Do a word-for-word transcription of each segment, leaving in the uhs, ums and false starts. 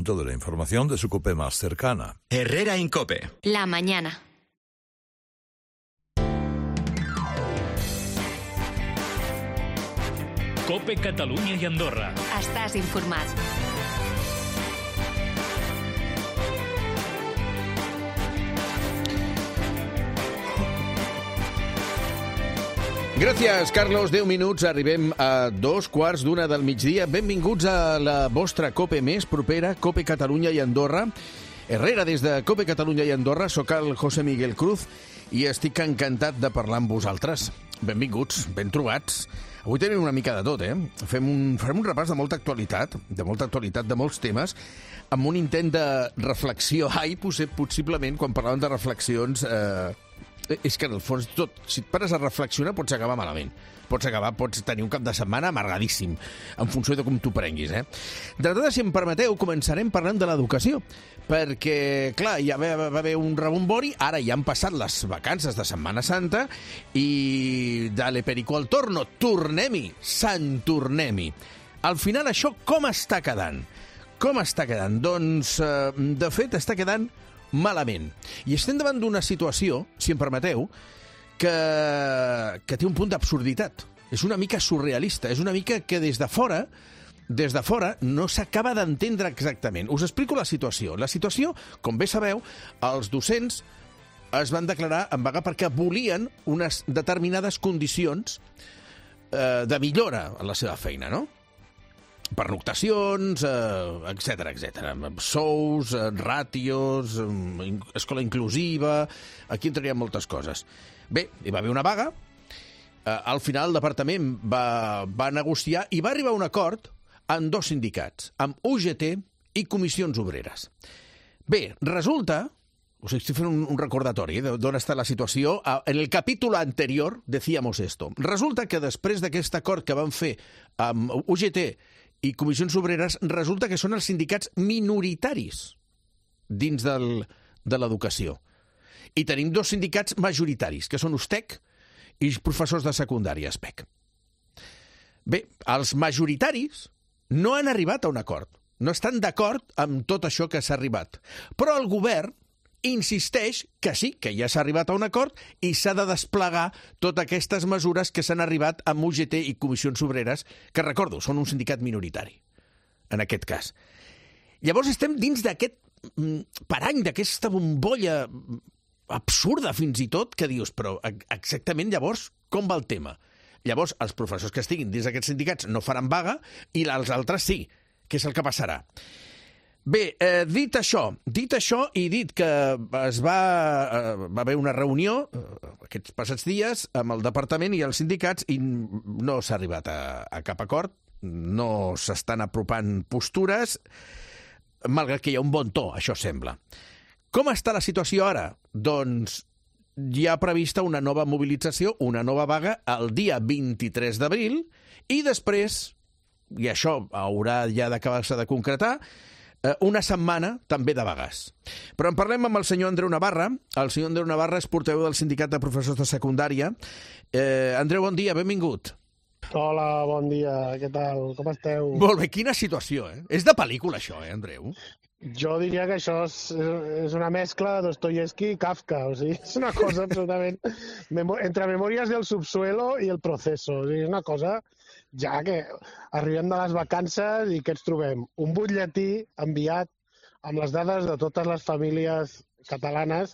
De la información de su COPE más cercana. Herrera Incope. La mañana. COPE Catalunya i Andorra. Estàs informat. Gràcies, Carlos. deu minuts, arribem a dos quarts d'una del migdia. Benvinguts a la vostra COPE més propera, COPE Catalunya i Andorra. Herrera, des de COPE Catalunya i Andorra, soc el José Miguel Cruz i estic encantat de parlar amb vosaltres. Benvinguts, ben trobats. Avui tenim una mica de tot, eh? Fem un, farem un repàs de molta actualitat, de molta actualitat, de molts temes, amb un intent de reflexió. Ai, possiblement, quan parlàvem de reflexions... Eh, és que, en el fons, tot, si et pares a reflexionar, pots acabar malament. Pots acabar, pots tenir un cap de setmana amargadíssim, en funció de com t'ho prenguis, eh? D'entrada, si em permeteu, començarem parlant de l'educació, perquè, clar, ja va, va haver un rebombori, ara ja han passat les vacances de Setmana Santa i dale perico al torno, tornem-hi, sant tornem-hi. Al final, això com està quedant? Com està quedant? Doncs, eh, de fet, està quedant malament. I estem davant d'una situació, si em permeteu, que, que té un punt d'absurditat. És una mica surrealista, és una mica que des de fora, des de fora no s'acaba d'entendre exactament. Us explico la situació. La situació, com bé sabeu, els docents es van declarar en vaga perquè volien unes determinades condicions eh, de millora en la seva feina, no? Pernoctacions, eh, etcètera, etcètera. Sous, eh, ràtios, eh, escola inclusiva... Aquí entrarien moltes coses. Bé, hi va haver una vaga. Eh, al final el departament va, va negociar i va arribar a un acord amb dos sindicats, amb U G T i Comissions Obreres. Bé, resulta... Us estic fent un, un recordatori eh, d'on està la situació. En el capítol anterior decíamos esto. Resulta que després d'aquest acord que van fer amb U G T i Comissions Obreres, resulta que són els sindicats minoritaris dins del, de l'educació. I tenim dos sindicats majoritaris, que són U S T E C i professors de secundària, S P E C. Bé, els majoritaris no han arribat a un acord. No estan d'acord amb tot això que s'ha arribat. Però el govern insisteix que sí, que ja s'ha arribat a un acord i s'ha de desplegar totes aquestes mesures que s'han arribat amb U G T i Comissions Obreres, que, recordo, són un sindicat minoritari, en aquest cas. Llavors estem dins d'aquest parany, d'aquesta bombolla absurda fins i tot, que dius, però exactament llavors com va el tema? Llavors els professors que estiguin dins d'aquests sindicats no faran vaga i els altres sí. Què és el que passarà? Bé, eh, dit això, dit això i dit que es va, eh, va haver una reunió eh, aquests passats dies amb el departament i els sindicats i no s'ha arribat a, a cap acord, no s'estan apropant postures, malgrat que hi ha un bon to, això sembla. Com està la situació ara? Doncs hi ha prevista una nova mobilització, una nova vaga el dia vint-i-tres d'abril i després, i això haurà ja d'acabar-se de concretar, una setmana també de vagues. Però en parlem amb el senyor Andreu Navarra. El senyor Andreu Navarra és portaveu del Sindicat de Professors de Secundària. Eh, Andreu, bon dia, benvingut. Hola, bon dia, què tal? Com esteu? Molt bé, quina situació, eh? És de pel·lícula, això, eh, Andreu? Jo diria que això és, és una mescla de Dostoyevsky i Kafka, o sigui, és una cosa absolutament... entre Memòries del subsuelo i el proceso, o sigui, és una cosa... ja que arribem de les vacances i què ens trobem? Un butlletí enviat amb les dades de totes les famílies catalanes,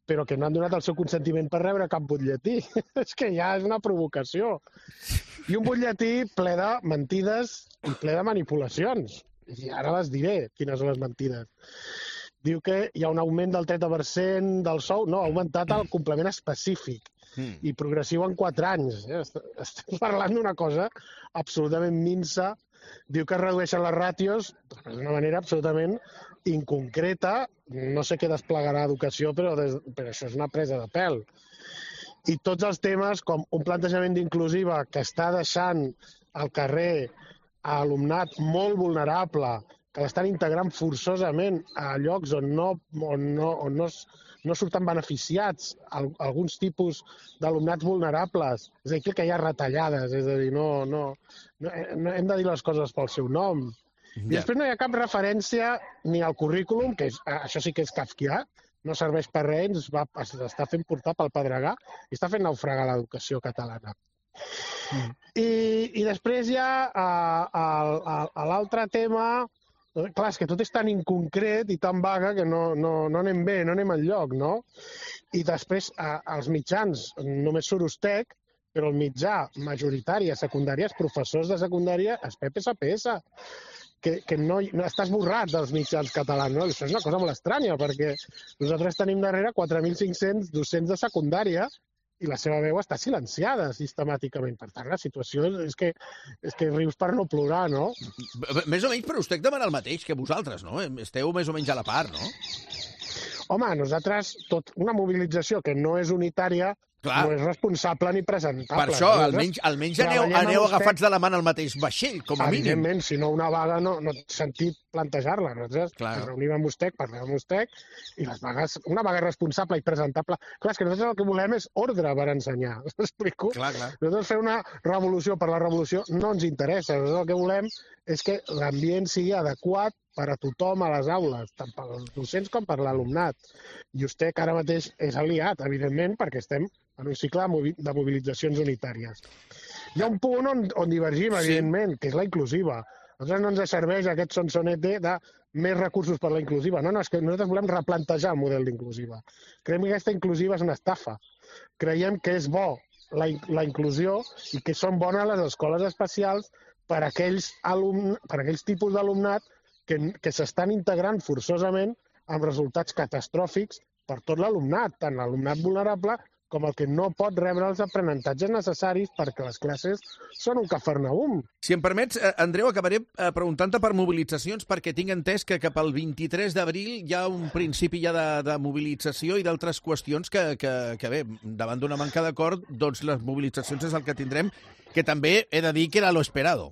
però que no han donat el seu consentiment per rebre cap butlletí. És que ja és una provocació. I un butlletí ple de mentides i ple de manipulacions. I ara les diré, quines són les mentides. Diu que hi ha un augment del trenta per cent del sou. No, ha augmentat el complement específic i progressiu en quatre anys. Estem parlant d'una cosa absolutament minsa. Diu que es redueixen les ràtios d'una manera absolutament inconcreta. No sé què desplegarà Educació, però, des... però això és una presa de pèl. I tots els temes, com un plantejament d'inclusiva que està deixant al carrer a alumnat molt vulnerable, que l'estan integrant forçosament a llocs on no, on no, on no, no surten beneficiats alguns tipus d'alumnats vulnerables. És a dir, que hi ha retallades, és a dir, no, no, no, hem de dir les coses pel seu nom. I després no hi ha cap referència ni al currículum, que és, això sí que és kafkià, no serveix per res, ens va, està fent portar pel pedregar i està fent naufragar l'educació catalana. Mm. I, I després hi ha uh, l'altre tema. Clar, és que tot és tan inconcret i tan vaga que no, no, no anem bé, no anem enlloc, no? I després, eh, els mitjans, només surt Ustec, però el mitjà majoritari a secundària, els professors de secundària, és P P S P S, que, que no, no està esborrat dels mitjans catalans, no? Això és una cosa molt estranya, perquè nosaltres tenim darrere quatre mil cinc-cents docents de secundària i la seva veu està silenciada sistemàticament. Per tant, la situació és que, és que rius per no plorar, no? Més o menys, però Ustec demana el mateix que vosaltres, no? Esteu més o menys a la part, no? Home, nosaltres, tot una mobilització que no és unitària, Clar. no és responsable ni presentable. Per això, almenys, almenys aneu, aneu agafats de la mà al mateix vaixell, com a mínim. Evidentment, si no una vaga no, no té sentit plantejar-la. Nosaltres ens reunim amb Ustec, parlem amb Ustec, i les vagues, una vaga responsable i presentable... Clar, és que nosaltres el que volem és ordre per ensenyar. Explico? Clar, clar. Nosaltres fer una revolució per la revolució no ens interessa. Nosaltres el que volem és que l'ambient sigui adequat per a tothom a les aules, tant per als docents com per l'alumnat. I Ustec ara mateix és aliat, evidentment, perquè estem en un cicle de mobilitzacions unitàries. Hi ha un punt on, on divergim, evidentment, sí. que és la inclusiva. A nosaltres no ens serveix aquest sonsonete de més recursos per la inclusiva. No, no, és que nosaltres volem replantejar el model d'inclusiva. Creiem que aquesta inclusiva és una estafa. Creiem que és bo la, la inclusió i que són bones les escoles especials per a aquells, alumn, per a aquells tipus d'alumnat que, que s'estan integrant forçosament amb resultats catastròfics per tot l'alumnat, tant l'alumnat vulnerable com el que no pot rebre els aprenentatges necessaris perquè les classes són un cafarnaum. Si em permets, Andreu, acabaré preguntant-te per mobilitzacions, perquè tinc entès que cap al vint-i-tres d'abril hi ha un principi ja de, de mobilització i d'altres qüestions que, que, que bé, davant d'una manca d'acord, doncs les mobilitzacions és el que tindrem, que també he de dir que era lo esperado.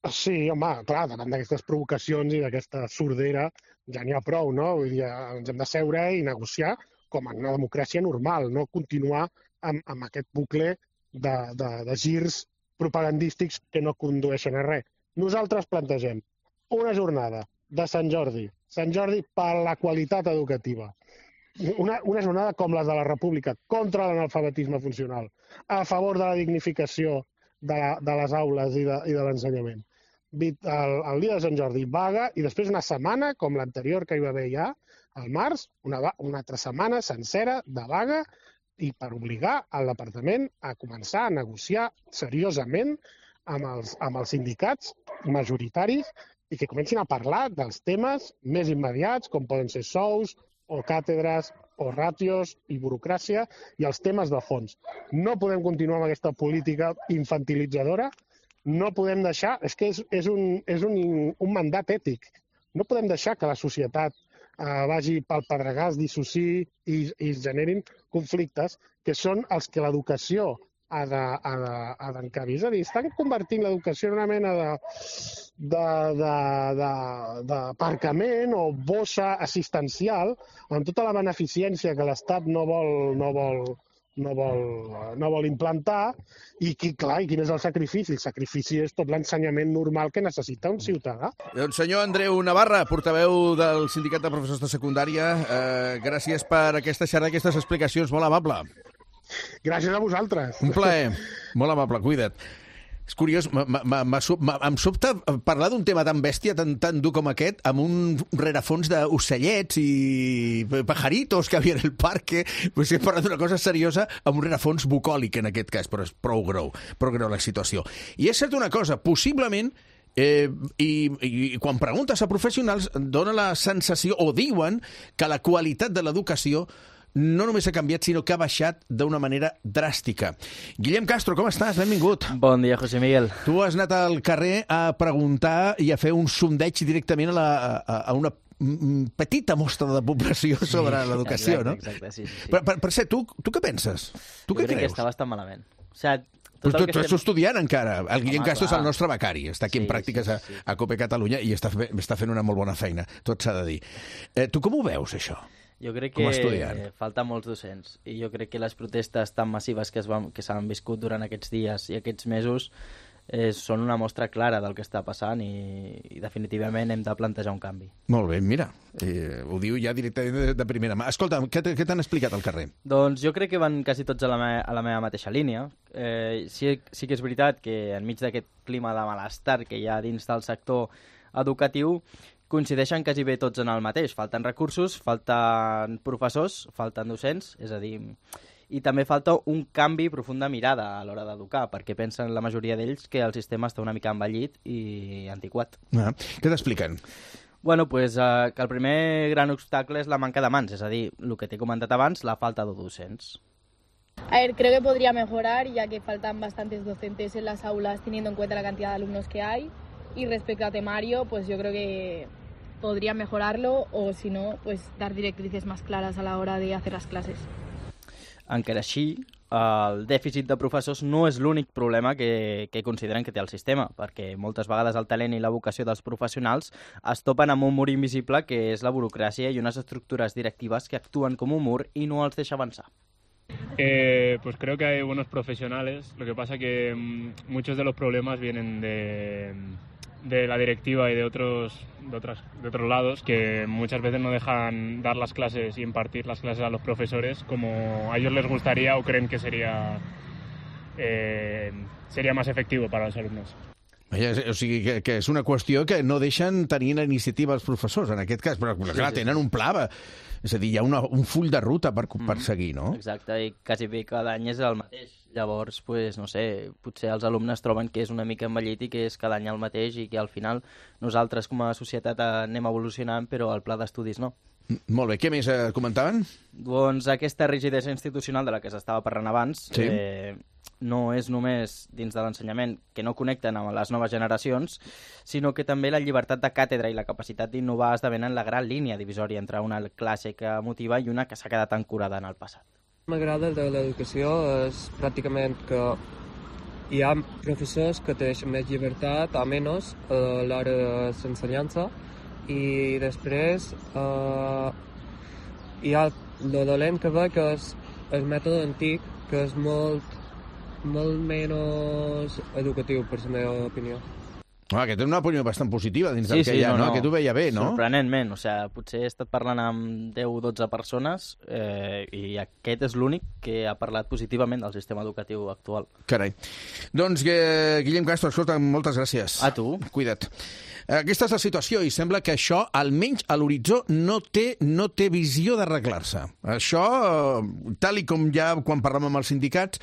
Sí, home, clar, davant d'aquestes provocacions i d'aquesta sordera ja n'hi ha prou, no? Vull dir, ens hem de seure i negociar com en una democràcia normal, no continuar amb, amb aquest bucle de, de, de girs propagandístics que no condueixen a res. Nosaltres plantegem una jornada de Sant Jordi, Sant Jordi per la qualitat educativa, una, una jornada com la de la República, contra l'analfabetisme funcional, a favor de la dignificació de, la, de les aules i de, i de l'ensenyament. El, el dia de Sant Jordi, vaga, i després una setmana, com l'anterior que hi va haver ja, al març, una, una altra setmana sencera de vaga i per obligar al departament a començar a negociar seriosament amb els, amb els sindicats majoritaris i que comencin a parlar dels temes més immediats, com poden ser sous o càtedres o ràtios i burocràcia i els temes de fons. No podem continuar amb aquesta política infantilitzadora, no podem deixar, és que és, és, un, és un, un mandat ètic, no podem deixar que la societat Uh, vagi pel pedregar, es dissociï i, i es generin conflictes que són els que l'educació ha d'encabir. És a dir, estan convertint l'educació en una mena de, de, de, de, d'aparcament o bossa assistencial amb tota la beneficència que l'Estat no vol, no vol, no vol, no vol implantar i, qui, clar, i quin és el sacrifici? El sacrifici és tot l'ensenyament normal que necessita un ciutadà. Doncs senyor Andreu Navarra, portaveu del Sindicat de Professors de Secundària, eh, gràcies per aquesta xerrada, aquestes explicacions, molt amable. Gràcies a vosaltres. Un plaer, molt amable, cuida't. És curiós, em sobta parlar d'un tema tan bèstia, tan, tan dur com aquest, amb un rerefons d'ocellets i pajaritos que havia en el parque. Pues he parlat d'una cosa seriosa amb un rerefons bucòlic, en aquest cas, però és prou greu, prou greu la situació. I és cert una cosa, possiblement, eh, i, i quan preguntes a professionals, dona la sensació, o diuen, que la qualitat de l'educació no només ha canviat, sinó que ha baixat d'una manera dràstica. Guillem Castro, com estàs? Benvingut. Bon dia, José Miguel. Tu has anat al carrer a preguntar i a fer un sondeig directament a, la, a, a una petita mostra de població sobre sí, l'educació, exacte, no? Exacte, sí, sí. sí. Per, per, per ser, tu, tu què penses? Tu jo què crec creus? que està bastant malament. O sigui, Però tu, tu estem... ets estudiant encara. El Guillem Castro és el nostre becari. Està aquí sí, en pràctiques sí, sí, sí. a, a Cope Catalunya i està, està fent una molt bona feina. Tot s'ha de dir. Eh, tu com ho veus, això? Jo crec com que falta molts docents i jo crec que les protestes tan massives que, es van, que s'han viscut durant aquests dies i aquests mesos eh, són una mostra clara del que està passant i, i definitivament hem de plantejar un canvi. Molt bé, mira, eh, ho diu ja directament de, de primera mà. Escolta, què, què t'han explicat al carrer? Doncs jo crec que van quasi tots a la, me a la meva mateixa línia. Eh, sí, sí que és veritat que enmig d'aquest clima de malestar que hi ha dins del sector educatiu, coincideixen quasi bé tots en el mateix. Falten recursos, falten professors, falten docents, és a dir, i també falta un canvi profund de mirada a l'hora d'educar, perquè pensen la majoria d'ells que el sistema està una mica envellit i antiquat. Ah, què t'expliquen? Bueno, pues eh, que el primer gran obstacle és la manca de mans, és a dir, el que t'he comentat abans, la falta de docents. A ver, creo que podría mejorar, ya que faltan bastantes docentes en las aulas, teniendo en cuenta la cantidad de alumnos que hay. Y respecto a temario, pues yo creo que podría mejorarlo, o si no, pues dar directrices más claras a la hora de hacer las clases. Encara així, el dèficit de professors no és l'únic problema que, que consideren que té el sistema, perquè moltes vegades el talent i la vocació dels professionals es topen amb un mur invisible que és la burocràcia i unes estructures directives que actuen com un mur i no els deixa avançar. Eh, pues creo que hay buenos profesionales, lo que pasa que mmm, muchos de los problemas vienen de, de la directiva y de otros, de, otras, de otros lados que muchas veces no dejan dar las clases y impartir las clases a los profesores como a ellos les gustaría o creen que sería, eh, sería más efectivo para los alumnos. O sigui, que, que és una qüestió que no deixen tenir la iniciativa els professors, en aquest cas, però clar, sí, sí. tenen un pla, és a dir, hi ha una, un full de ruta per, per seguir, no? Exacte, i quasi bé cada any és el mateix. Llavors, pues, no sé, potser els alumnes troben que és una mica envellit i que és cada any el mateix i que al final nosaltres com a societat anem evolucionant, però el pla d'estudis no. Molt bé, què més eh, comentaven? Doncs aquesta rigidesa institucional de la que s'estava parlant abans sí. eh, no és només dins de l'ensenyament que no connecten amb les noves generacions, sinó que també la llibertat de càtedra i la capacitat d'innovar esdevenen la gran línia divisòria entre una classe que motiva i una que s'ha quedat ancorada en el passat. M'agrada de l'educació és pràcticament que hi ha professors que tenen més llibertat o menys a l'hora de l'ensenyança i després eh, hi ha el dolent que ve que és el mètode antic que és molt, molt menys educatiu per la meva opinió. Ah, que té una opinió bastant positiva dins sí, del que sí, hi ha, no, no? no? Que tu veia bé, no? Sorprenentment, o sigui, potser he estat parlant amb deu o dotze persones eh, i aquest és l'únic que ha parlat positivament del sistema educatiu actual. Carai. Doncs, eh, Guillem Castro, escolta, moltes gràcies. A tu. Cuida't. Aquesta és la situació i sembla que això, almenys a l'horitzó, no té, no té visió d'arreglar-se. Això, tal i com ja quan parlem amb els sindicats,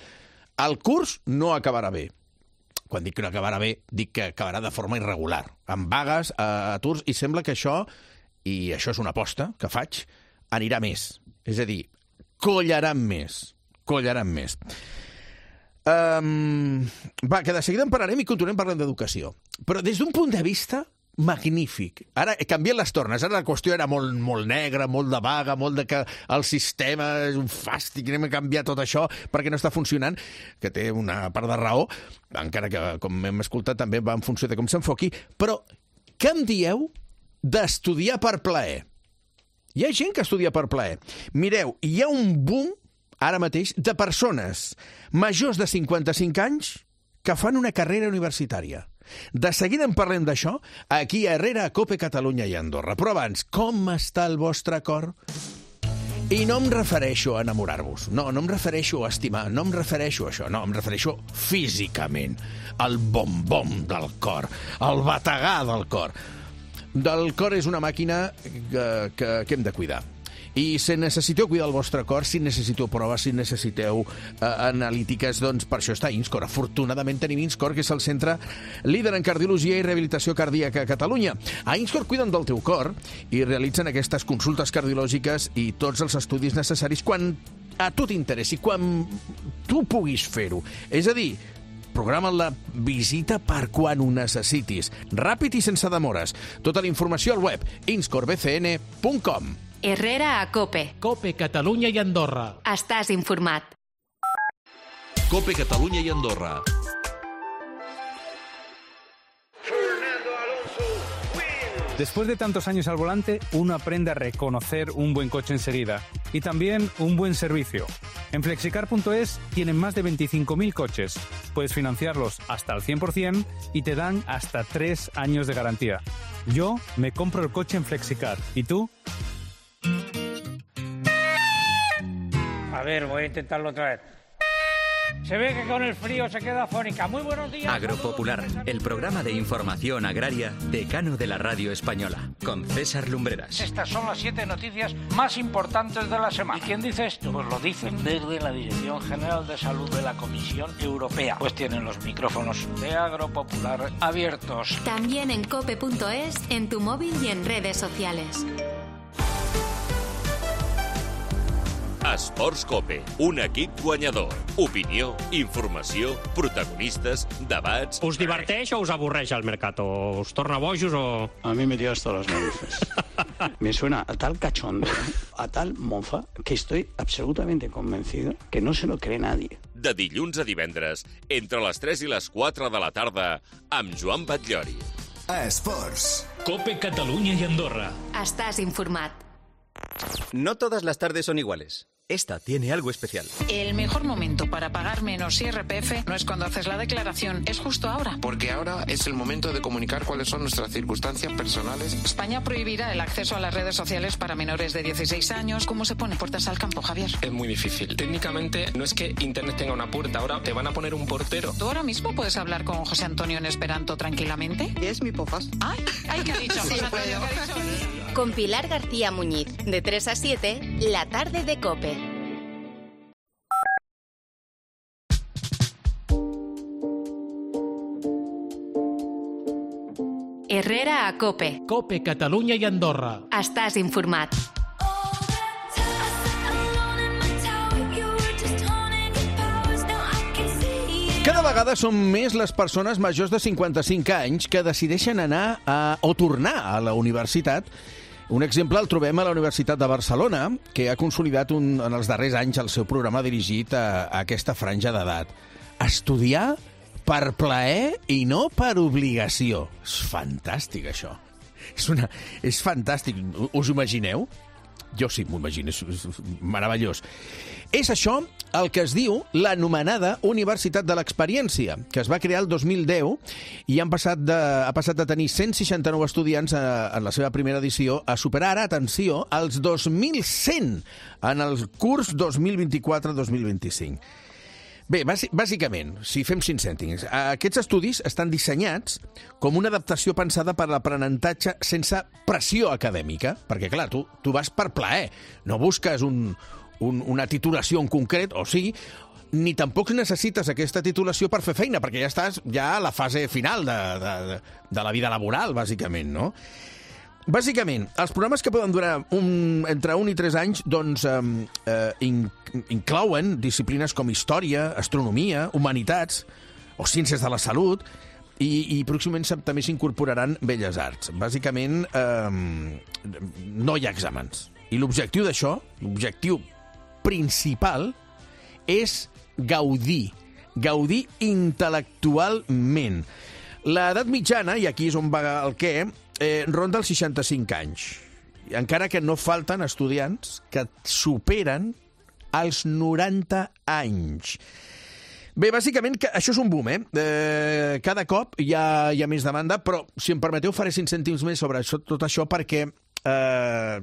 el curs no acabarà bé. Quan dic que no acabarà bé, dic que acabarà de forma irregular, amb vagues, aturs, i sembla que això, i això és una aposta que faig, anirà més. És a dir, collaran més. Collaran més. Um, va, que de seguida en parlarem i continuem parlant d'educació. Però des d'un punt de vista magnífic. Ara he canviat les tornes. Ara la qüestió era molt, molt negra, molt de vaga, molt de que el sistema és un fàstic, anem a canviar tot això perquè no està funcionant, que té una part de raó, encara que, com hem escoltat, també va en funció de com s'enfoqui. Però què em dieu d'estudiar per plaer? Hi ha gent que estudia per plaer. Mireu, hi ha un boom ara mateix de persones majors de cinquanta-cinc anys que fan una carrera universitària. De seguida en parlem d'això aquí a Herrera, a Cope Catalunya i Andorra. Però abans, com està el vostre cor? I no em refereixo a enamorar-vos, no, no em refereixo a estimar, no em refereixo a això, no, em refereixo físicament, al bom-bom del cor, al bategar del cor. Del cor és una màquina que, que, que hem de cuidar. I si necessiteu cuidar el vostre cor, si necessiteu proves, si necessiteu eh, analítiques, doncs per això està INSCOR. Afortunadament tenim INSCOR, que és el centre líder en cardiologia i rehabilitació cardíaca a Catalunya. A INSCOR cuiden del teu cor i realitzen aquestes consultes cardiològiques i tots els estudis necessaris quan a tu t'interessi, quan tu puguis fer-ho. És a dir, programa la visita per quan ho necessitis. Ràpid i sense demores. Tota la informació al web inscor b c n punt com. Herrera a Cope. Cope Catalunya i Andorra. Estàs informat. Cope Catalunya i Andorra. Después de tantos años al volante, uno aprende a reconocer un buen coche enseguida y también un buen servicio. En flexicar punto es tienen más de veinticinco mil coches. Puedes financiarlos hasta el cien por ciento y te dan hasta tres años de garantía. Yo me compro el coche en Flexicar. ¿Y tú? A ver, voy a intentarlo otra vez. Se ve que con el frío se queda afónica. Muy buenos días. Agropopular, el programa de información agraria decano de la radio española, con César Lumbreras. Estas son las siete noticias más importantes de la semana. ¿Y quién dice esto? Pues lo dicen desde la Dirección General de Salud de la Comisión Europea. Pues tienen los micrófonos de Agropopular abiertos. También en cope punto es, en tu móvil y en redes sociales. Esports Cope, un equip guanyador. Opinió, informació, protagonistes, debats... Us diverteix o us avorreix el Mercato? Us torna bojos o...? A mí me dio hasta las narices. Me suena a tal cachondeo, a tal mofa, que estoy absolutamente convencido que no se lo cree nadie. De dilluns a divendres, entre les tres i les quatre de la tarda, amb Joan Batllori. Esports. Cope Catalunya i Andorra. Estàs informat. No todas las tardes son iguales. Esta tiene algo especial. El mejor momento para pagar menos I R P F no es cuando haces la declaración, es justo ahora. Porque ahora es el momento de comunicar cuáles son nuestras circunstancias personales. España prohibirá el acceso a las redes sociales para menores de dieciséis años. ¿Cómo se pone puertas al campo, Javier? Es muy difícil. Técnicamente no es que Internet tenga una puerta, ahora te van a poner un portero. ¿Tú ahora mismo puedes hablar con José Antonio en esperanto tranquilamente? Es mi pofas. Ay, ay, ¿qué ha dicho? Sí, José Antonio, ¿qué ha dicho? Con Pilar García Muñiz, de tres a siete, la tarde de COPE. Herrera a COPE. COPE Catalunya i Andorra. Estàs informat. Cada vegada són més les persones majors de cinquanta-cinc anys que decideixen anar a, o tornar a la universitat. Un exemple el trobem a la Universitat de Barcelona, que ha consolidat un, en els darrers anys el seu programa dirigit a, a aquesta franja d'edat. Estudiar per plaer i no per obligació. És fantàstic, això. És, una, és fantàstic. Us ho imagineu? Jo sí, m'ho imagino. És, és meravellós. És això el que es diu l'anomenada Universitat de l'Experiència, que es va crear el dos mil deu i han passat de, ha passat de tenir cent seixanta-nou estudiants a, en la seva primera edició a superar ara, atenció, els dos mil cent en el curs dos mil vint-i-quatre dos mil vint-i-cinc. Bé, bàsicament, si fem cinc cèntims, aquests estudis estan dissenyats com una adaptació pensada per l'aprenentatge sense pressió acadèmica, perquè, clar, tu, tu vas per plaer, no busques un, un, una titulació en concret, o sí, ni tampoc necessites aquesta titulació per fer feina, perquè ja estàs ja a la fase final de, de, de la vida laboral, bàsicament, no? Bàsicament, els programes que poden durar un, entre un i tres anys doncs, eh, in, inclouen disciplines com història, astronomia, humanitats o ciències de la salut i, i pròximament també s'incorporaran belles arts. Bàsicament, eh, no hi ha exàmens. I l'objectiu d'això, l'objectiu principal, és gaudir, gaudir intel·lectualment. L'edat mitjana, i aquí és on va el què, eh, ronda els seixanta-cinc anys. Encara que no falten estudiants que superen els noranta anys. Bé, bàsicament, això és un boom, eh? eh cada cop hi ha, hi ha més demanda, però, si em permeteu, faré cinc cèntims més sobre això, tot això, perquè eh,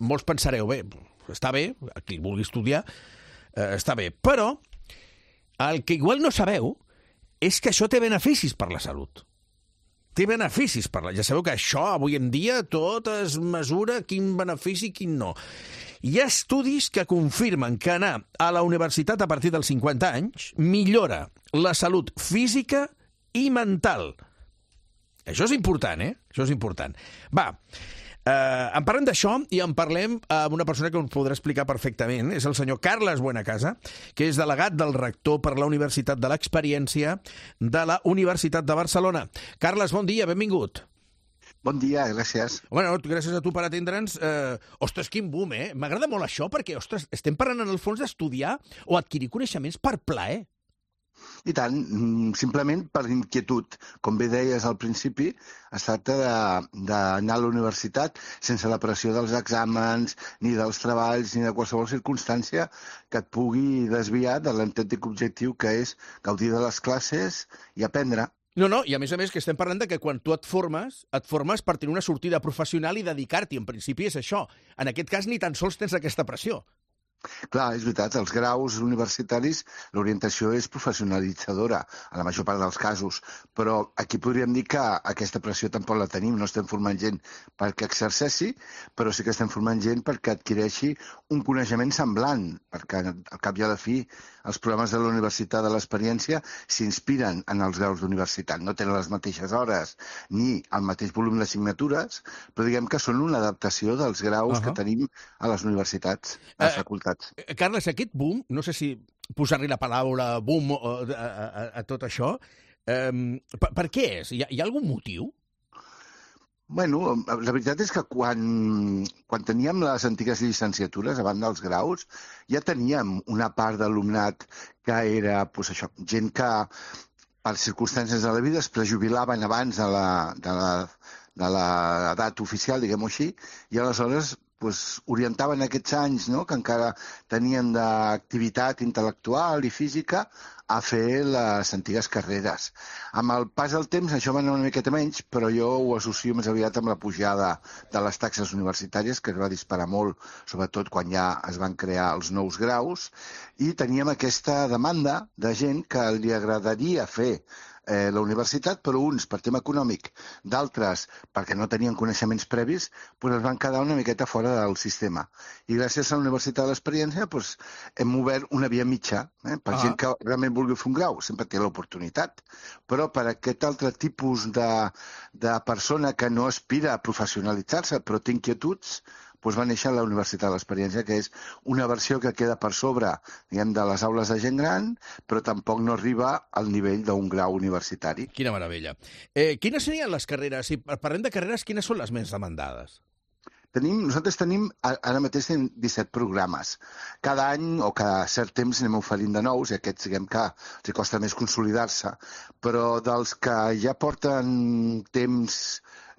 molts pensareu, bé, està bé, qui vulgui estudiar, eh, està bé, però el que igual no sabeu és que això té beneficis per la salut. Té beneficis per la... Ja sabeu que això, avui en dia, tot es mesura quin benefici i quin no. Hi ha estudis que confirmen que anar a la universitat a partir dels cinquanta anys millora la salut física i mental. Això és important, eh? Això és important. Va, eh, en parlem d'això i en parlem amb una persona que ens podrà explicar perfectament. És el senyor Carles Buenacasa, que és delegat del rector per la Universitat de l'Experiència de la Universitat de Barcelona. Carles, bon dia, benvingut. Bon dia, gràcies. Bueno, gràcies a tu per atendre'ns. Eh, ostres, quin boom, eh? M'agrada molt això perquè, ostres, estem parlant en el fons d'estudiar o adquirir coneixements per plaer. I tant, simplement per inquietud. Com bé deies al principi, es tracta d'anar a la universitat sense la pressió dels exàmens, ni dels treballs, ni de qualsevol circumstància que et pugui desviar de l'autèntic objectiu que és gaudir de les classes i aprendre. No, no, i a més a més que estem parlant de que quan tu et formes, et formes per tenir una sortida professional i dedicar-t'hi. En principi és això. En aquest cas ni tan sols tens aquesta pressió. Clar, és veritat, els graus universitaris, l'orientació és professionalitzadora, a la major part dels casos, però aquí podríem dir que aquesta pressió tampoc la tenim, no estem formant gent perquè exerceixi, però sí que estem formant gent perquè adquireixi un coneixement semblant, perquè al cap i a la fi els programes de la universitat de l'experiència s'inspiren en els graus d'universitat, no tenen les mateixes hores ni el mateix volum d'assignatures, però diguem que són una adaptació dels graus uh-huh. que tenim a les universitats, a les uh, facultats. Carles, aquest boom, no sé si posar-li la paraula boom a, a, a tot això, eh, per, per què és? Hi ha, hi ha algun motiu? Bueno, la veritat és que quan, quan teníem les antigues llicenciatures, abans dels graus, ja teníem una part d'alumnat que era pues, això, gent que per circumstàncies de la vida es prejubilaven abans de la, de la, de l'edat oficial, diguem-ho així, i aleshores pues, orientaven aquests anys no?, que encara tenien d'activitat intel·lectual i física a fer les antigues carreres. Amb el pas del temps això va anar una miqueta menys, però jo ho associo més aviat amb la pujada de les taxes universitàries, que es va disparar molt, sobretot quan ja es van crear els nous graus, i teníem aquesta demanda de gent que li agradaria fer Eh, la universitat, però uns per tema econòmic, d'altres perquè no tenien coneixements previs, pues es van quedar una miqueta fora del sistema. I gràcies a la Universitat de l'Experiència pues, hem obert una via mitja, eh, per ah. gent que realment vulgui fer un grau, sempre té l'oportunitat, però per aquest altre tipus de, de persona que no aspira a professionalitzar-se, però té inquietuds, doncs va néixer la Universitat de l'Experiència, que és una versió que queda per sobre, diguem, de les aules de gent gran, però tampoc no arriba al nivell d'un grau universitari. Quina meravella. Eh, quines serien les carreres? Si parlem de carreres, quines són les més demandades? Tenim, nosaltres tenim, ara mateix tenim disset programes. Cada any o cada cert temps anem oferint de nous, i aquests, diguem que els costa més consolidar-se, però dels que ja porten temps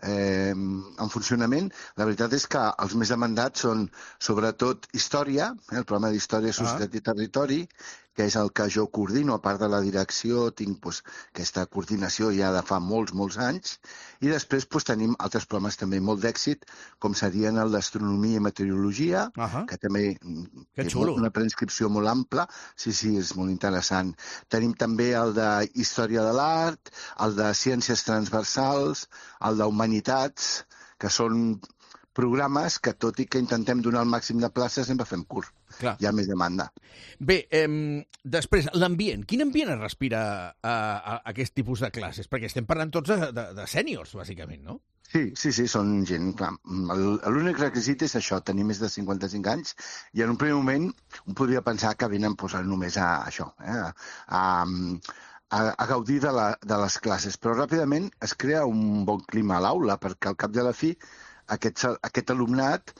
Eh, en funcionament, la veritat és que els més demandats són sobretot història, eh, el programa d'Història, Societat ah. i Territori, que és el que jo coordino, a part de la direcció, tinc pues, aquesta coordinació ja de fa molts, molts anys, i després pues, tenim altres programes també molt d'èxit, com serien el d'Astronomia i Meteorologia, uh-huh. que també que és una preinscripció molt ampla, sí, sí, és molt interessant. Tenim també el de Història de l'Art, el de Ciències Transversals, el d'Humanitats, que són programes que, tot i que intentem donar el màxim de places, sempre fem curt. Clar. Hi ha més demanda. Bé, eh, després, l'ambient. Quin ambient es respira a, a, a aquest tipus de classes? Perquè estem parlant tots de, de, de sèniors, bàsicament, no? Sí, sí, sí, són gent, clar. L'únic requisit és això, tenir més de cinquanta-cinc anys, i en un primer moment un podria pensar que venen posant només a això, eh, a, a, a gaudir de, la, de les classes, però ràpidament es crea un bon clima a l'aula, perquè al cap de la fi aquest, aquest alumnat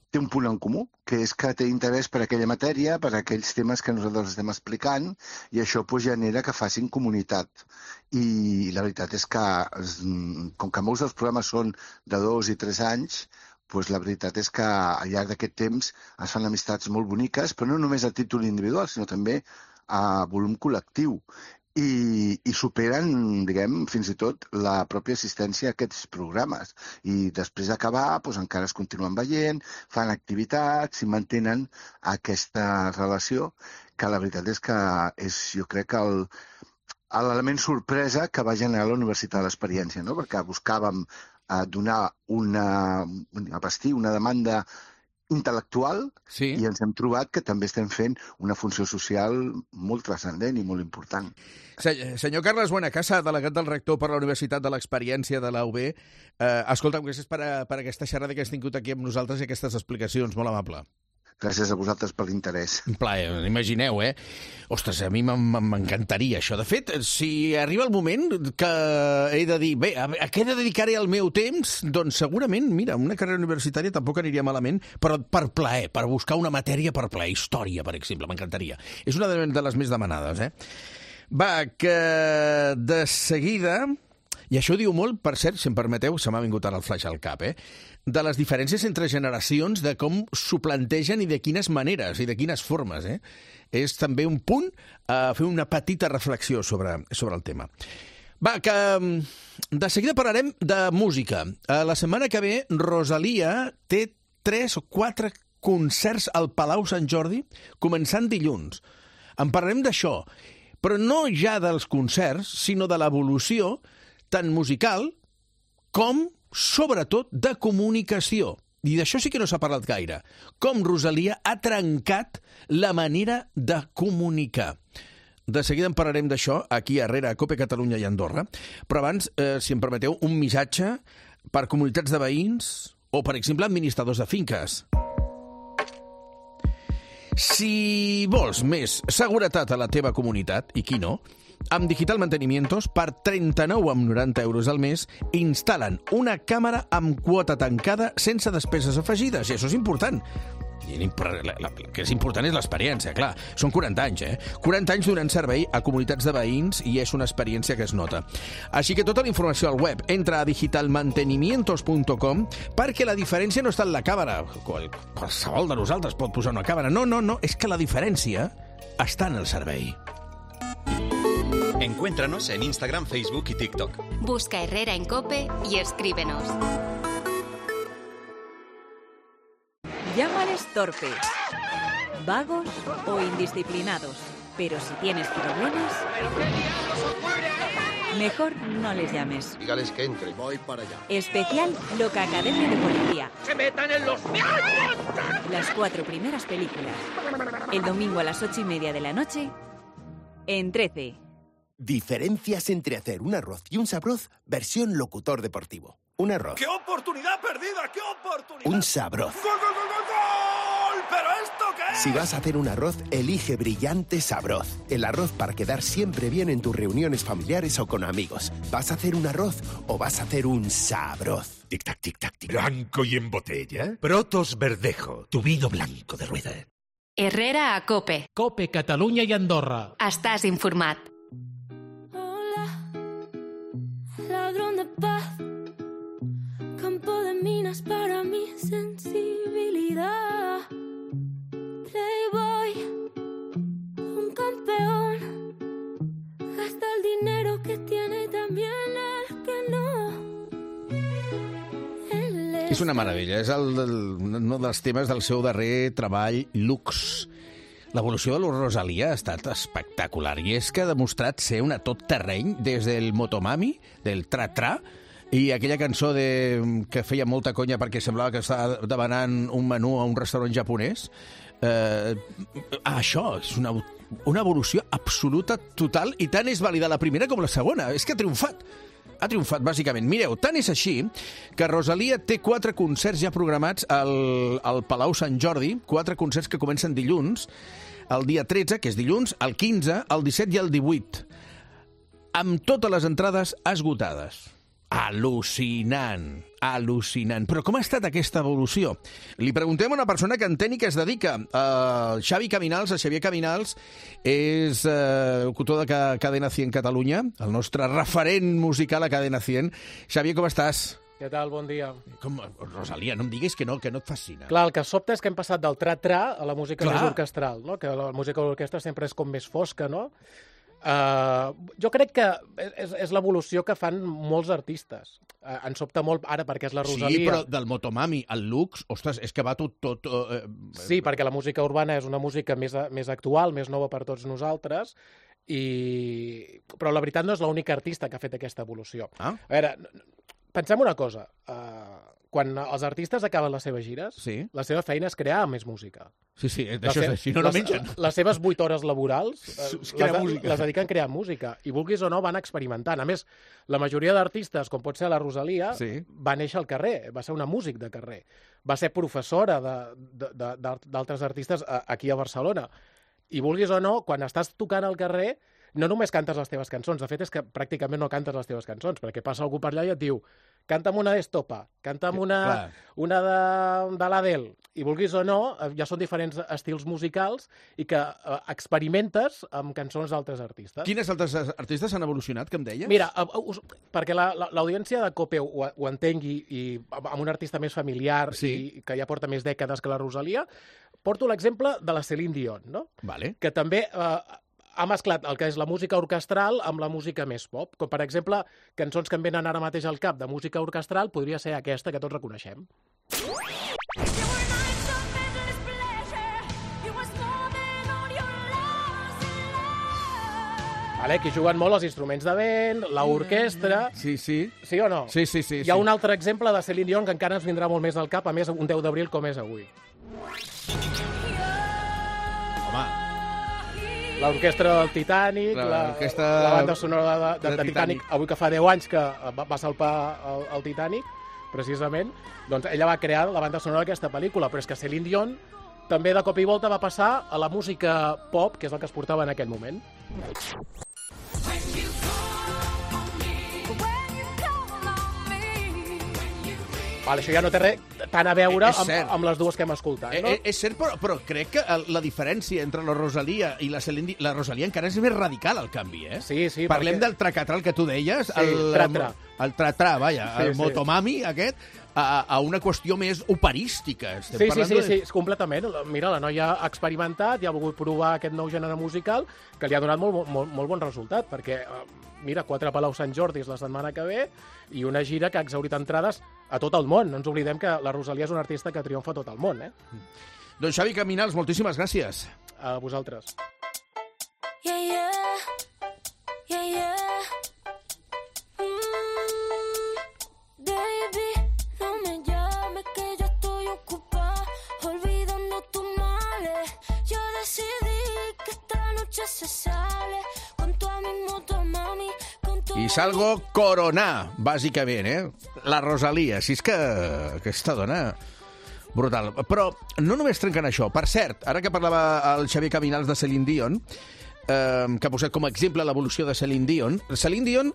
té un punt en comú, que és que té interès per aquella matèria, per aquells temes que nosaltres estem explicant, i això pues, genera que facin comunitat. I la veritat és que, com que molts dels programes són de dos i tres anys, pues, la veritat és que al llarg d'aquest temps es fan amistats molt boniques, però no només a títol individual, sinó també a volum col·lectiu. I, i superen, diguem, fins i tot la pròpia assistència a aquests programes. I després d'acabar, doncs, encara es continuen veient, fan activitats i mantenen aquesta relació, que la veritat és que és, jo crec que el, l'element sorpresa que va generar la Universitat de l'Experiència, no? Perquè buscàvem eh, donar una, una vestir, una demanda intel·lectual, sí. I ens hem trobat que també estem fent una funció social molt transcendent i molt important. Senyor Carles Buenacasa, delegat del rector per la Universitat de l'Experiència de la U B, eh, escolta'm, gràcies per, a, per aquesta xerrada que has tingut aquí amb nosaltres i aquestes explicacions, molt amable. Gràcies a vosaltres per l'interès. Un plaer, imagineu, eh? Ostres, a mi m'encantaria això. De fet, si arriba el moment que he de dir, bé, a què he de dedicar-hi el meu temps? Doncs segurament, mira, una carrera universitària tampoc aniria malament, però per plaer, per buscar una matèria per plaer. Història, per exemple, m'encantaria. És una de les més demanades, eh? Va, que de seguida... I això diu molt, per cert, si em permeteu, se m'ha vingut ara el flash al cap, eh? De les diferències entre generacions, de com s'ho plantegen i de quines maneres i de quines formes, eh? És també un punt a fer una petita reflexió sobre, sobre el tema. Va, que de seguida parlarem de música. La setmana que ve, Rosalia té tres o quatre concerts al Palau Sant Jordi, començant dilluns. En parlarem d'això, però no ja dels concerts, sinó de l'evolució tant musical com, sobretot, de comunicació. I d'això sí que no s'ha parlat gaire. Com Rosalia ha trencat la manera de comunicar. De seguida en parlarem d'això aquí a Herrera, a Cope Catalunya i Andorra. Però abans, eh, si em permeteu, un missatge per comunitats de veïns o, per exemple, administradors de finques. Si vols més seguretat a la teva comunitat, i qui no, amb Digital Mantenimientos, per trenta-nou coma noranta euros al mes, instal·len una càmera amb quota tancada sense despeses afegides, i això és important. I el que és important és l'experiència, clar. Són quaranta anys, eh? quaranta anys donant servei a comunitats de veïns i és una experiència que es nota. Així que tota la informació al web. Entra a digital mantenimientos punt com perquè la diferència no està en la càmera. Qualsevol de nosaltres pot posar una càmera. No, no, no. És que la diferència està en el servei. Encuéntranos en Instagram, Facebook y TikTok. Busca Herrera en Cope y escríbenos. Llámales torpes, vagos o indisciplinados, pero si tienes problemas, mejor no les llames. Dígales que entre. Voy para allá. Especial Loca Academia de Policía. ¡Se metan en los meados! Las cuatro primeras películas. El domingo a las ocho y media de la noche, en trece. Diferencias entre hacer un arroz y un sabroz, versión locutor deportivo. Un arroz. ¡Qué oportunidad perdida! ¡Qué oportunidad! Un sabroz. ¡Gol, gol, gol, gol, gol! ¿Pero esto qué es? Si vas a hacer un arroz, elige Brillante Sabroz. El arroz para quedar siempre bien en tus reuniones familiares o con amigos. ¿Vas a hacer un arroz o vas a hacer un sabroz? Tic-tac, tic-tac, tic. Blanco y en botella. Protos Verdejo, tu vino blanco de rueda. Herrera a Cope. Cope Catalunya i Andorra. Estàs informat. Ladrón de paz, campo de minas para mi sensibilidad. Playboy, un campeón, gasta el dinero que tiene también el que no. És una meravella, és el, el, un dels temes del seu darrer treball, Lux. L'evolució de la Rosalia ha estat espectacular i és que ha demostrat ser una tot terreny des del Motomami, del Tra-Tra, i aquella cançó de, que feia molta conya perquè semblava que estava demanant un menú a un restaurant japonès. Eh, això és una, una evolució absoluta, total, i tant és vàlida la primera com la segona. És que ha triomfat. Ha triomfat, bàsicament. Mireu, tant és així que Rosalia té quatre concerts ja programats al, al Palau Sant Jordi, quatre concerts que comencen dilluns, el dia tretze, que és dilluns, el quinze, el disset i el divuit, amb totes les entrades esgotades. Al·lucinant, al·lucinant. Però com ha estat aquesta evolució? Li preguntem a una persona que entén i que es dedica. Uh, Xavi Caminals, el Xavier Caminals, és uh, locutor de Cadena cent Catalunya, el nostre referent musical a Cadena cent. Xavier, com estàs? Què tal? Bon dia. Com, Rosalia, no em diguis que no, que no et fascina. Clar, el que sobta és que hem passat del tra-tra a la música Clar. més orquestral, no? Que la música d'orquestra sempre és com més fosca, no? Uh, jo crec que és, és l'evolució que fan molts artistes. Uh, ens sobta molt ara perquè és la Rosalia. Sí, però del Motomami al Lux, ostres, és que va tot... tot uh, sí, perquè la música urbana és una música més, més actual, més nova per tots nosaltres, i... però la veritat no és l'única artista que ha fet aquesta evolució. Ah? A veure, pensem una cosa. Uh, quan els artistes acaben les seves gires, sí. la seva feina és crear més música. Sí, sí, d'això és així, no no mengen. Les, les seves vuit hores laborals eh, les, les dediquen a crear música. I vulguis o no, van experimentant. A més, la majoria d'artistes, com pot ser la Rosalia, sí. va néixer al carrer, va ser una músic de carrer. Va ser professora d'altres artistes aquí a Barcelona. I vulguis o no, quan estàs tocant al carrer, no només cantes les teves cançons, de fet és que pràcticament no cantes les teves cançons, perquè passa algú per allà i et diu canta'm una d'Estopa, canta'm una, una de, de l'Adele, i vulguis o no, ja són diferents estils musicals i que eh, experimentes amb cançons d'altres artistes. Quines altres artistes han evolucionat, que em deies? Mira, uh, us, perquè l'audiència la, la, de COPE ho, ho entengui, i amb un artista més familiar sí. i que ja porta més dècades que la Rosalia, porto l'exemple de la Céline Dion, no? Vale. Que també eh, ha mesclat el que és la música orquestral amb la música més pop. Com, per exemple, cançons que em venen ara mateix al cap de música orquestral podria ser aquesta que tots reconeixem. Vale, que juguen molt els instruments de vent, l'orquestra... Sí, sí. Sí o no? Sí, sí, sí. Hi ha sí. un altre exemple de Céline Dion que encara ens vindrà molt més al cap, a més, un deu d'abril com és avui. Home... L'orquestra del Titanic, la, la banda sonora de, de, de, de Titanic, avui que fa deu anys que va, va salpar el, el Titanic, precisament, doncs ella va crear la banda sonora d'aquesta pel·lícula, però és que Céline Dion també de cop i volta va passar a la música pop, que és el que es portava en aquell moment. Vale, això ja no té res tant a veure amb, amb les dues que hem escoltat, no? Eh, és cert, però, però crec que la diferència entre la Rosalia i la Céline Dion... La Rosalia encara és més radical, el canvi, eh? Sí, sí. Parlem perquè... del tracatrà, el que tu deies. Sí, el tra-tra. El tratrà, vaja, sí, el sí. motomami aquest, a, a una qüestió més operística. Estem sí, sí, sí, de... sí, completament. Mira, la noia ha experimentat i ha volgut provar aquest nou gènere musical que li ha donat molt, molt, molt bon resultat, perquè, mira, quatre Palau Sant Jordi la setmana que ve i una gira que ha exhaurit entrades a tot el món. No ens oblidem que la Rosalia és una artista que triomfa a tot el món, eh? Doncs Xavi Caminals, moltíssimes gràcies. A vosaltres. Yeah, yeah. Yeah, yeah. I salgo coronar, bàsicament, eh? La Rosalia, si és que aquesta dona... Brutal. Però no només trenquen això. Per cert, ara que parlava el Xavier Caminals de Céline Dion, eh, que ha posat com a exemple l'evolució de Céline Dion, Céline Dion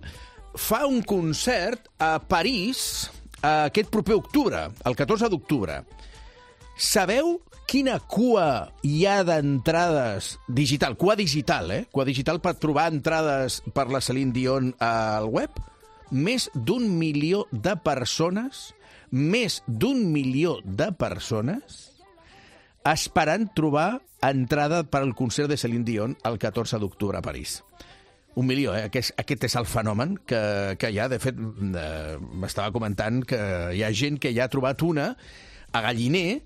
fa un concert a París aquest proper octubre, el catorze d'octubre. Sabeu quina cua hi ha d'entrades digital? Cua digital, eh? Cua digital per trobar entrades per la Céline Dion al web? Més d'un milió de persones, més d'un milió de persones esperant trobar entrada per al concert de Céline Dion el catorze d'octubre a París. Un milió, eh? Aquest, aquest és el fenomen que, que hi ha. De fet, eh, m'estava comentant que hi ha gent que ja ha trobat una a Galliner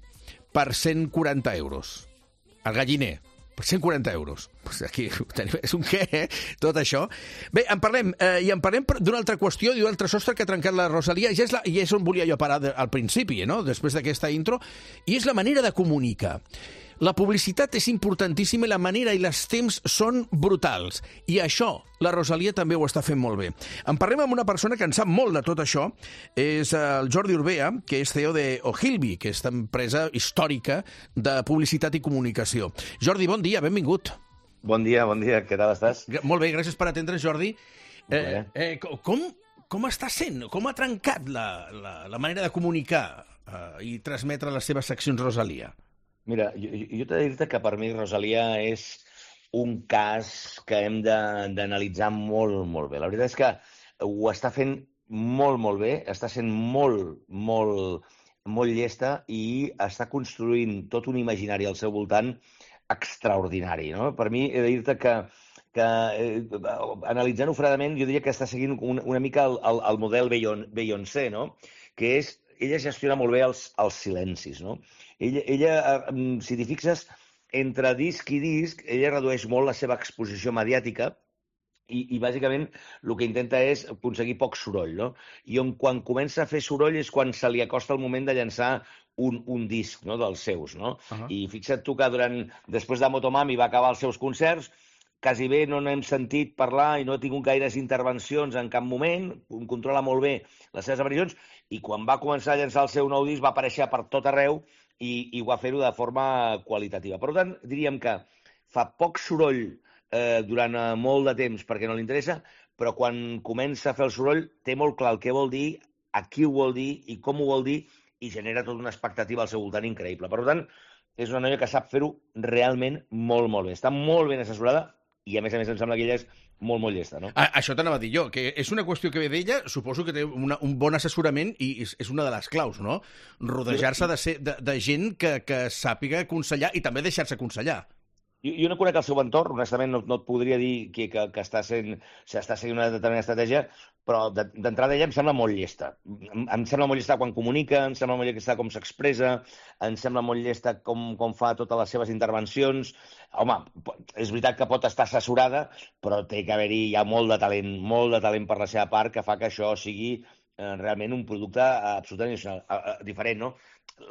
per cent quaranta euros. El Galliner, per cent quaranta euros. Pues aquí tenim, és un què, eh? Tot això. Bé, en parlem, eh, i en parlem d'una altra qüestió i d'un altre sostre que ha trencat la Rosalia, i és, la, i és on volia jo parar de, al principi, no? Després d'aquesta intro, i és la manera de comunicar. La publicitat és importantíssima i la manera i els temps són brutals. I això, la Rosalia també ho està fent molt bé. En parlem amb una persona que en sap molt de tot això. És el Jordi Urbea, que és C E O de Ogilvy, que és empresa històrica de publicitat i comunicació. Jordi, bon dia, benvingut. Bon dia, bon dia. Què tal estàs? Molt bé, gràcies per atendre's, Jordi. Eh, eh, com, com està sent? Com ha trencat la, la, la manera de comunicar eh, i transmetre les seves seccions Rosalia? Mira, jo, jo t'he de dir que per mi Rosalia és un cas que hem d'analitzar molt, molt bé. La veritat és que ho està fent molt, molt bé, està sent molt, molt, molt llesta i està construint tot un imaginari al seu voltant extraordinari, no? Per mi, he de dir-te que, que eh, analitzant-ho fredament, jo diria que està seguint una, una mica el, el, el model Beyoncé, no? Que és, ella gestiona molt bé els, els silencis, no? Ella, ella, si t'hi fixes, entre disc i disc, ella redueix molt la seva exposició mediàtica i, i bàsicament, el que intenta és aconseguir poc soroll, no? I on, quan comença a fer soroll és quan se li acosta el moment de llançar un, un disc, no?, dels seus, no? Uh-huh. I fixa't tu que durant, després de Motomami va acabar els seus concerts, quasi bé no n'hem sentit parlar i no ha tingut gaires intervencions en cap moment, controla molt bé les seves aparicions, i quan va començar a llançar el seu nou disc va aparèixer per tot arreu i, i ho va fer-ho de forma qualitativa. Per tant, diríem que fa poc soroll eh, durant molt de temps perquè no li interessa, però quan comença a fer el soroll té molt clar el que vol dir, a qui ho vol dir i com ho vol dir i genera tota una expectativa al seu voltant increïble. Per tant, és una noia que sap fer-ho realment molt, molt bé. Està molt ben assessorada i, a més a més, em sembla que ella és molt, molt llesta, no? A, això t'anava a dir jo, que és una qüestió que ve d'ella, suposo que té una, un bon assessorament i és, és una de les claus, no? Rodejar-se de, ser, de, de gent que, que sàpiga aconsellar i també deixar-se aconsellar. Jo, jo no conec el seu entorn, honestament no, no et podria dir que, que, que està, sent, està seguint una determinada estratègia, però d'entrada ella em sembla molt llesta. Em, em sembla molt llesta quan comunica, em sembla molt llesta com s'expressa, em sembla molt llesta com, com fa totes les seves intervencions. Home, és veritat que pot estar assessorada, però té que haver-hi ja molt de talent, molt de talent per la seva part, que fa que això sigui eh, realment un producte absolutament eh, diferent, no?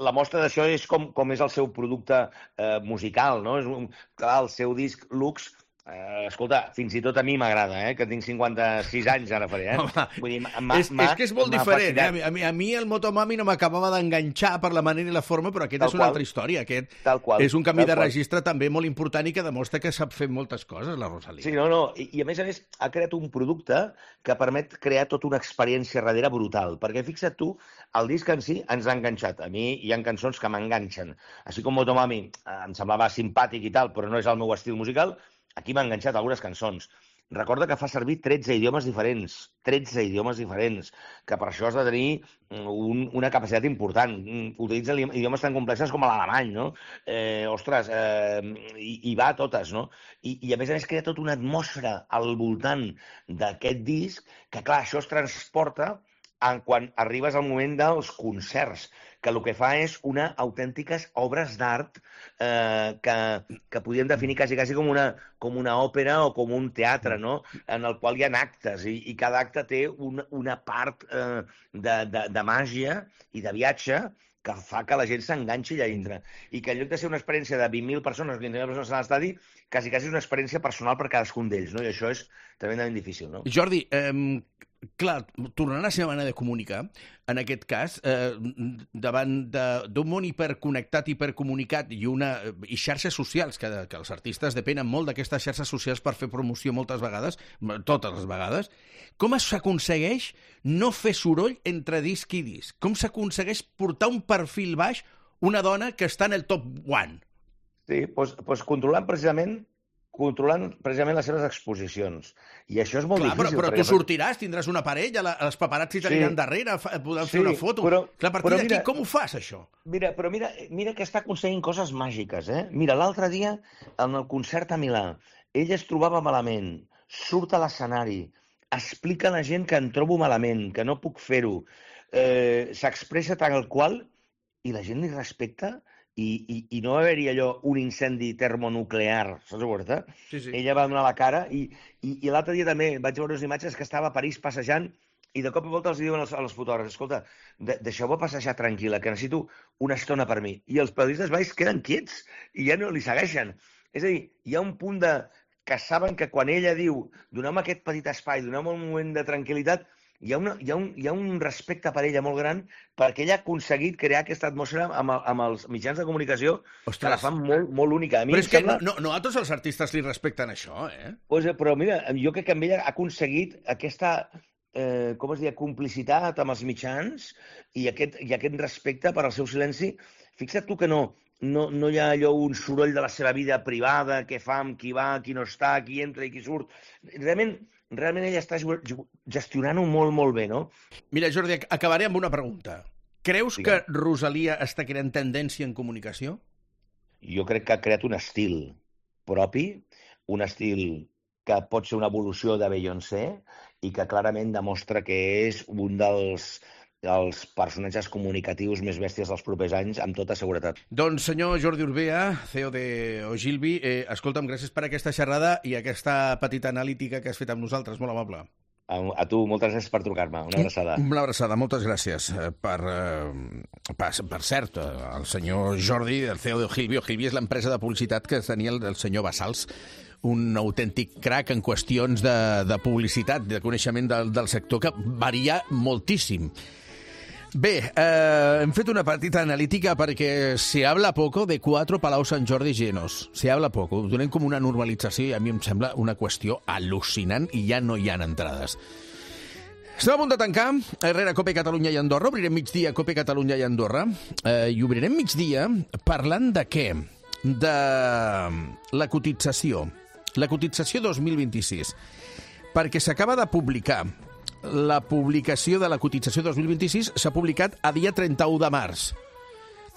La mostra d'això és com, com és el seu producte eh, musical, no? És un, clar, el seu disc Lux, eh, escolta, fins i tot a mi m'agrada, eh? Que tinc cinquanta-sis anys, ara faré, eh? Home, Vull dir, és, és que és molt diferent, eh? A mi, a mi el Motomami no m'acabava d'enganxar per la manera i la forma, però aquest Tal és una qual. altra història. Aquest Tal qual. és un canvi Tal de qual. registre també molt important i que demostra que sap fer moltes coses, la Rosalía. Sí, no, no. I, I a més a més ha creat un producte que permet crear tota una experiència darrere brutal. Perquè fixa't tu, el disc en si ens ha enganxat. A mi hi ha cançons que m'enganxen. Així com Motomami eh, em semblava simpàtic i tal, però no és el meu estil musical, aquí m'ha enganxat algunes cançons. Recorda que fa servir tretze idiomes diferents, tretze idiomes diferents, que per això has de tenir un, una capacitat important. Utilitza idiomes tan complexes com l'alemany, no? Eh, ostres, eh, i, i va a totes, no? I, I a més a més crea tota una atmosfera al voltant d'aquest disc, que clar, això es transporta en quan arribes al moment dels concerts, que el que fa és una autèntiques obres d'art eh, que, que podríem definir quasi, quasi com una, com una òpera o com un teatre, no? En el qual hi ha actes i, i cada acte té una, una part eh, de, de, de màgia i de viatge que fa que la gent s'enganxi allà dintre. I que en lloc de ser una experiència de vint mil persones, vint mil persones a l'estadi, quasi, quasi és una experiència personal per cadascun d'ells, no? I això és tremendament difícil, no? Jordi, eh, clar, tornant a la seva manera de comunicar, en aquest cas, eh, davant d'un món hiperconnectat, hipercomunicat i, una, i xarxes socials, que, que els artistes depenen molt d'aquestes xarxes socials per fer promoció moltes vegades, totes les vegades, com s'aconsegueix no fer soroll entre disc i disc? Com s'aconsegueix portar un perfil baix una dona que està en el top one? Sí, doncs, doncs controlant precisament controlant precisament les seves exposicions. I això és molt Clar, difícil. Però, però perquè... tu sortiràs, tindràs una parella, la, els paparazzi t'aniran sí. darrere, podran sí, fer una foto. Però, Clar, a partir d'aquí, mira, com ho fas, això? Mira, però mira, mira que està aconseguint coses màgiques, eh? Mira, l'altre dia, en el concert a Milà, ella es trobava malament, surt a l'escenari, explica a la gent que em trobo malament, que no puc fer-ho, eh, s'expressa tal qual, i la gent li respecta. I, i, i no va haver-hi allò, un incendi termonuclear, saps ho veure? Sí, sí. Ella va donar la cara i, i, i l'altre dia també vaig veure unes imatges que estava a París passejant i de cop i volta els diuen als, als fotògrafs, escolta, de, deixeu-me passejar tranquil·la, que necessito una estona per mi. I els periodistes baix queden quiets i ja no li segueixen. És a dir, hi ha un punt de que saben que quan ella diu donem aquest petit espai, donem un moment de tranquil·litat, hi ha, una, hi, ha un, hi ha un respecte per ella molt gran perquè ella ha aconseguit crear aquesta atmosfera amb, amb els mitjans de comunicació. Ostres, que la fan molt, molt única. A mi però és que sembla... no, no a tots els artistes li respecten això, eh? Pues, però mira, jo crec que amb ella ha aconseguit aquesta eh, com es diu, complicitat amb els mitjans i aquest, i aquest respecte per al seu silenci. Fixa't tu que no, no, no hi ha allò un soroll de la seva vida privada, què fa, amb qui va, qui no està, qui entra i qui surt. Realment... Realment ella està gestionant-ho molt, molt bé, no? Mira, Jordi, acabaré amb una pregunta. Creus sí. que Rosalía està creant tendència en comunicació? Jo crec que ha creat un estil propi, un estil que pot ser una evolució de Beyoncé i que clarament demostra que és un dels... els personatges comunicatius més bèsties dels propers anys, amb tota seguretat. Doncs, senyor Jordi Urbea, C E O de Ogilvy, eh, escolta'm, gràcies per aquesta xerrada i aquesta petita analítica que has fet amb nosaltres, molt amable. A, a tu, moltes gràcies per trucar-me. Una abraçada. Una abraçada, moltes gràcies. Per, eh, per, per cert, el senyor Jordi, el C E O de Ogilvy, Ogilvy és l'empresa de publicitat que tenia el, el senyor Basals, un autèntic crac en qüestions de, de publicitat, de coneixement del, del sector, que varia moltíssim. Bé, eh, hem fet una petita analítica perquè se habla poco de quatre Palau Sant Jordi llenos. Se habla poco. Ho donem com una normalització i a mi em sembla una qüestió al·lucinant i ja no hi ha entrades. Estem a punt de tancar, darrere Cope Catalunya i Andorra, obrirem migdia Cope Catalunya i Andorra, eh, i obrirem migdia parlant de què? De la cotització, la cotització dos mil vint-i-sis, perquè s'acaba de publicar, la publicació de la cotització dos mil vint-i-sis s'ha publicat a dia trenta-u de març.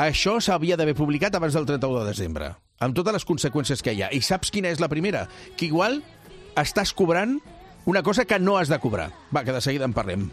Això s'havia d'haver publicat abans del trenta-u de desembre, amb totes les conseqüències que hi ha. I saps quina és la primera? Que igual estàs cobrant una cosa que no has de cobrar. Va, que de seguida en parlem.